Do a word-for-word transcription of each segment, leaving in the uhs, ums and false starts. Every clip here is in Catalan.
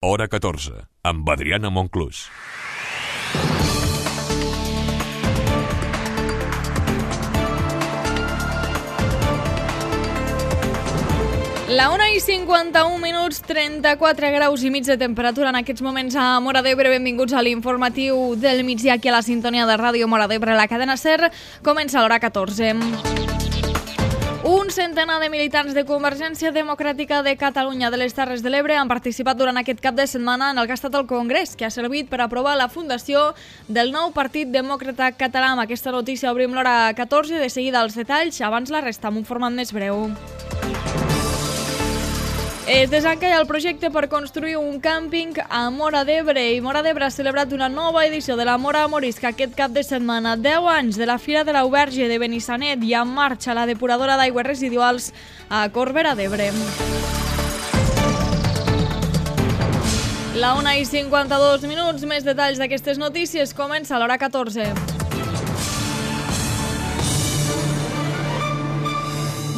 Hora catorze, amb Adriana Monclús. La una i cinquanta-un minuts, trenta-quatre graus i mig de temperatura en aquests moments a Móra d'Ebre. Benvinguts a l'informatiu del migdia aquí a la sintonia de Ràdio Móra d'Ebre, la cadena SER. Comença l'hora catorze. Un centenar de militants de Convergència Democràtica de Catalunya de les Terres de l'Ebre han participat durant aquest cap de setmana en el que ha estat el Congrés, que ha servit per aprovar la fundació del nou Partit Demòcrata Català. Amb aquesta notícia obrim l'hora catorze, de seguida els detalls, abans la resta amb un format més breu. Es desencalla el projecte per construir un càmping a Móra d'Ebre i Móra d'Ebre ha celebrat una nova edició de la Móra Morisca aquest cap de setmana. deu anys de la Fira de l'Auberge de Benissanet i en marxa la depuradora d'aigües residuals a Corbera d'Ebre. La una i cinquanta-dos minuts, més detalls d'aquestes notícies, comença l'hora catorze.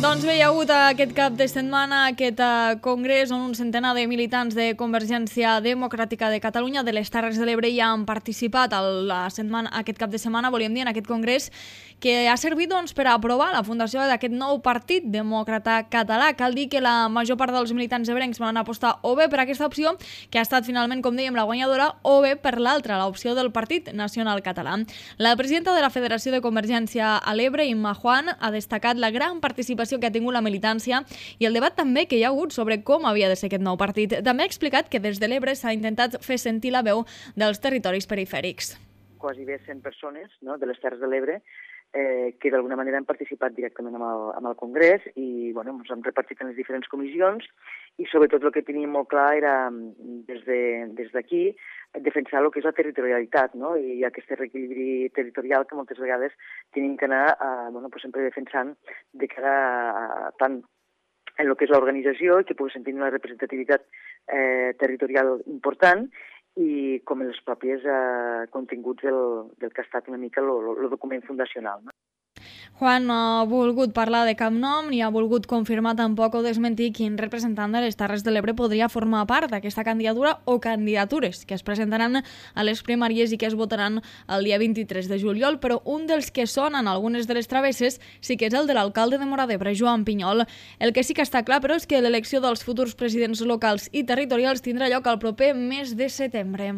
Doncs bé, hi ha hagut aquest cap de setmana aquest uh, congrés on un centenar de militants de Convergència Democràtica de Catalunya de les Terres de l'Ebre ja han participat el, la setmana, aquest cap de setmana, volíem dir, en aquest congrés que ha servit doncs, per aprovar la fundació d'aquest nou Partit Demòcrata Català. Cal dir que la major part dels militants ebrencs van apostar o bé per aquesta opció, que ha estat finalment, com dèiem, la guanyadora, o bé per l'altra, l'opció del Partit Nacional Català. La presidenta de la Federació de Convergència a l'Ebre, Imma Juan, ha destacat la gran participació que ha tingut la militància i el debat també que hi ha hagut sobre com havia de ser aquest nou partit. També ha explicat que des de l'Ebre s'ha intentat fer sentir la veu dels territoris perifèrics. Quasi bé cent persones, no?, de les Terres de l'Ebre eh, que d'alguna manera han participat directament amb el, amb el Congrés i bueno, ens hem repartit en les diferents comissions i sobretot el que teníem molt clar era des de, des d'aquí defensar el que és la territorialitat, no?, i aquest reequilibri territorial que moltes vegades tenim que anar a, bueno, pues sempre defensant de cara a, a, tant en el que és l'organització i que pugui sentir una representativitat eh, territorial important i com en els propis eh, continguts del, del que ha estat una mica el document fundacional, no? Juan no ha volgut parlar de cap nom ni ha volgut confirmar tampoc o desmentir quin representant de les Terres de l'Ebre podria formar part d'aquesta candidatura o candidatures que es presentaran a les primàries i que es votaran el dia vint-i-tres de juliol, però un dels que sonen algunes de les travesses sí que és el de l'alcalde de Móra d'Ebre, Joan Pinyol. El que sí que està clar, però, és que l'elecció dels futurs presidents locals i territorials tindrà lloc el proper mes de setembre.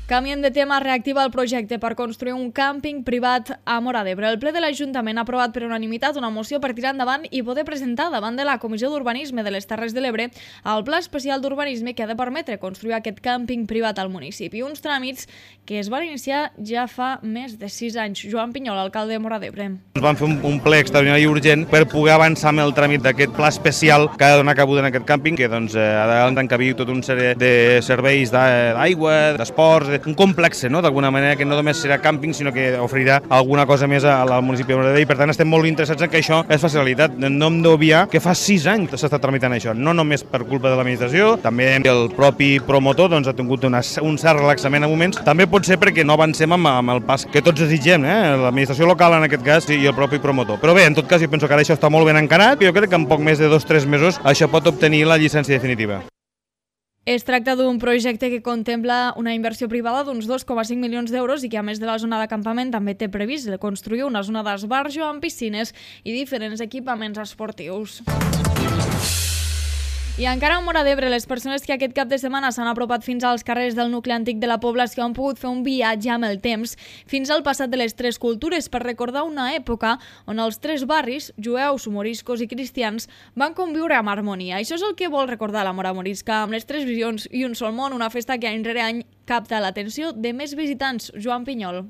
Canviem de tema, reactiva el projecte per construir un càmping privat a Móra d'Ebre. El ple de l'Ajuntament ha aprovat per unanimitat una moció per tirar endavant i poder presentar davant de la Comissió d'Urbanisme de les Terres de l'Ebre el Pla Especial d'Urbanisme que ha de permetre construir aquest càmping privat al municipi. Uns tràmits que es van iniciar ja fa més de sis anys. Joan Pinyol, alcalde de Móra d'Ebre. Ens van fer un, un ple extraordinari i urgent per poder avançar amb el tràmit d'aquest pla especial que ha de donar cabuda en aquest càmping, que doncs, ha d'encabir tot un sèrie de serveis d'aigua, d'esports, un complex, no?, d'alguna manera, que no només serà càmping, sinó que oferirà alguna cosa més al municipi de Móra d'Ebre i per tant estem molt interessats en que això es faci realitat. No hem d'obviar que fa sis anys que s'està tramitant això, no només per culpa de l'administració, també el propi promotor doncs, ha tingut una, un cert relaxament a moments, també pot ser perquè no avancem amb, amb el pas que tots desitgem, eh? L'administració local en aquest cas i el propi promotor. Però bé, en tot cas jo penso que ara això està molt ben encarat i jo crec que en poc més de dos o tres mesos això pot obtenir la llicència definitiva. Es tracta d'un projecte que contempla una inversió privada d'uns dos coma cinc milions d'euros i que, a més de la zona d'acampament, també té previst construir una zona d'esbarjo amb piscines i diferents equipaments esportius. I encara a Móra d'Ebre, les persones que aquest cap de setmana s'han apropat fins als carrers del nucli antic de la població han pogut fer un viatge amb el temps fins al passat de les tres cultures per recordar una època on els tres barris, jueus, moriscos i cristians, van conviure amb harmonia. Això és el que vol recordar la Móra Morisca, amb les tres visions i un sol món, una festa que any rere any capta l'atenció de més visitants. Joan Pinyol.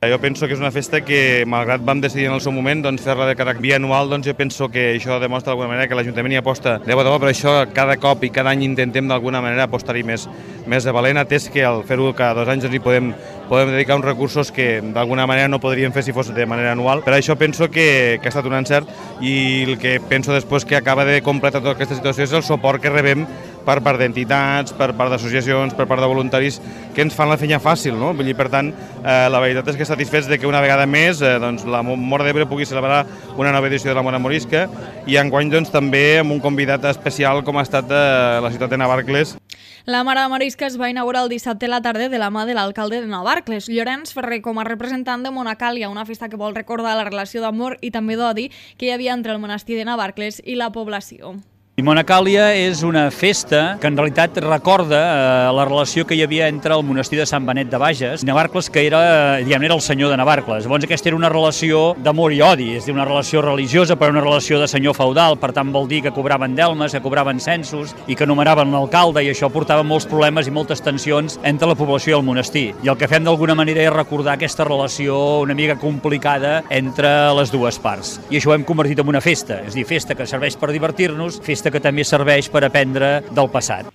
Jo penso que és una festa que, malgrat vam decidir en el seu moment doncs, fer-la de caràcter bianual, doncs jo penso que això demostra d'alguna manera que l'Ajuntament hi aposta de bo de bo, però això cada cop i cada any intentem d'alguna manera apostar-hi més, més de valent, atès que al fer-ho cada dos anys ens hi podem, podem dedicar uns recursos que d'alguna manera no podríem fer si fos de manera anual. Per això penso que, que ha estat un encert i el que penso després que acaba de completar tota aquesta situació és el suport que rebem per part d'entitats, per part d'associacions, per part de voluntaris que ens fan la feina fàcil, no? Vull dir, per tant, eh, la veritat és que satisfets de que una vegada més eh, doncs, la Móra d'Ebre pugui celebrar una nova edició de la Mora Morisca, i enguany doncs, també amb un convidat especial com ha estat eh, la ciutat de Navarcles. La Mara Morisca es va inaugurar el dissabte a la tarda de la mà de l'alcalde de Navarcles, Llorenç Ferrer, com a representant de Monacàlia, una festa que vol recordar la relació d'amor i també d'odi que hi havia entre el monestir de Navarcles i la població. I Monacàlia és una festa que en realitat recorda eh, la relació que hi havia entre el monestir de Sant Benet de Bages i Navarcles, que era, diguem, era el senyor de Navarcles. Llavors aquesta era una relació d'amor i odi, és una relació religiosa però una relació de senyor feudal, per tant vol dir que cobraven delmes, que cobraven censos i que nomeraven l'alcalde, i això portava molts problemes i moltes tensions entre la població i el monestir. I el que fem d'alguna manera és recordar aquesta relació una mica complicada entre les dues parts. I això ho hem convertit en una festa, és a dir, festa que serveix per divertir-nos, festa que també serveix per aprendre del passat.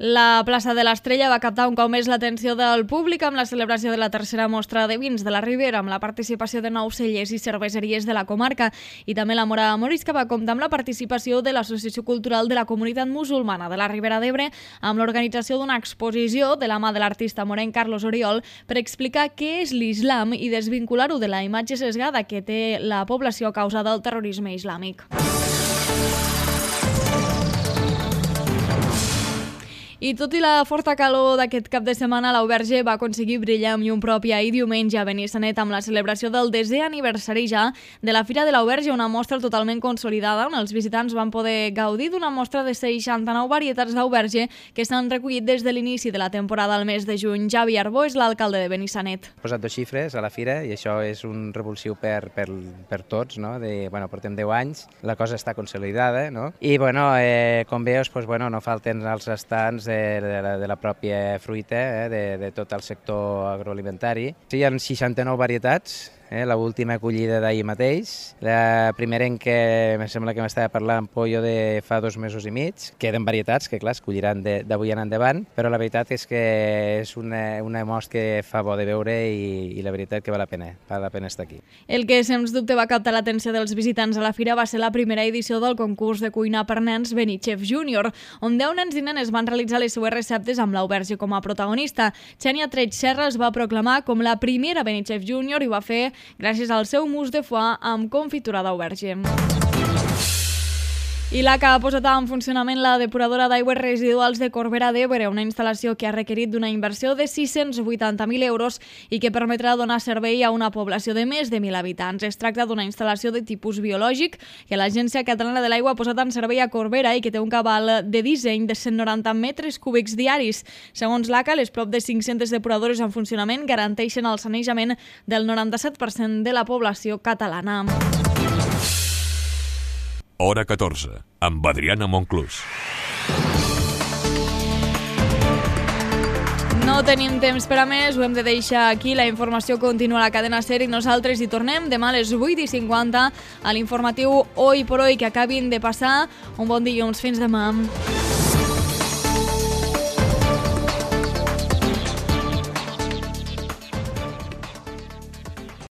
La plaça de l'Estrella va captar un cop més l'atenció del públic amb la celebració de la tercera mostra de vins de la Ribera, amb la participació de nou cellers i cerveseries de la comarca. I també la Mora Morisca va comptar amb la participació de l'Associació Cultural de la Comunitat Musulmana de la Ribera d'Ebre, amb l'organització d'una exposició de la mà de l'artista morenc Carlos Oriol per explicar què és l'islam i desvincular-ho de la imatge sesgada que té la població a causa del terrorisme islàmic. I tot i la forta calor d'aquest cap de setmana, l'Auberge va aconseguir brillar amb llum pròpia i diumenge a Benissanet amb la celebració del desè aniversari ja de la Fira de l'Auberge, una mostra totalment consolidada on els visitants van poder gaudir d'una mostra de seixanta-nou varietats d'Auberge que s'han recollit des de l'inici de la temporada al mes de juny. Javi Arbó és l'alcalde de Benissanet. He posat dos xifres a la Fira i això és un revulsiu per, per, per tots, no? De, bueno, portem deu anys, la cosa està consolidada, no? I bueno, eh, com veus, pues, bueno, no falten els estants de De la, de la pròpia fruita, eh, de, de tot el sector agroalimentari. Sí, hi ha seixanta-nou varietats, eh, l'última acollida d'ahir mateix. La primera en què em sembla que m'estava parlant pollo de fa dos mesos i mig. Queden varietats que, clar, es colliran d'avui en endavant, però la veritat és que és una, una mostra que fa bo de veure i, i la veritat que val la pena, val la pena estar aquí. El que, sens dubte, va captar l'atenció dels visitants a la fira va ser la primera edició del concurs de cuina per nens Benichef Júnior, on deu nens i nenes van realitzar les seues receptes amb l'Auberge com a protagonista. Xènia Treig Serra es va proclamar com la primera Benichef Júnior i ho va fer gràcies al seu mousse de foie amb confitura d'auberge. I l'A C A ha posat en funcionament la depuradora d'aigües residuals de Corbera d'Ebre, una instal·lació que ha requerit d'una inversió de sis-cents vuitanta mil euros i que permetrà donar servei a una població de més de mil habitants. Es tracta d'una instal·lació de tipus biològic que l'Agència Catalana de l'Aigua ha posat en servei a Corbera i que té un cabal de disseny de cent noranta metres cúbics diaris. Segons l'A C A, les prop de cinc-centes depuradores en funcionament garanteixen el sanejament del noranta-set per cent de la població catalana. Hora catorze, amb Adriana Monclús. No tenim temps per a més, ho hem de deixar aquí. La informació continua a la cadena SER i nosaltres hi tornem demà a les vuit i cinquanta a l'informatiu Hoy por Hoy, que acabin de passar un bon dilluns. Fins demà.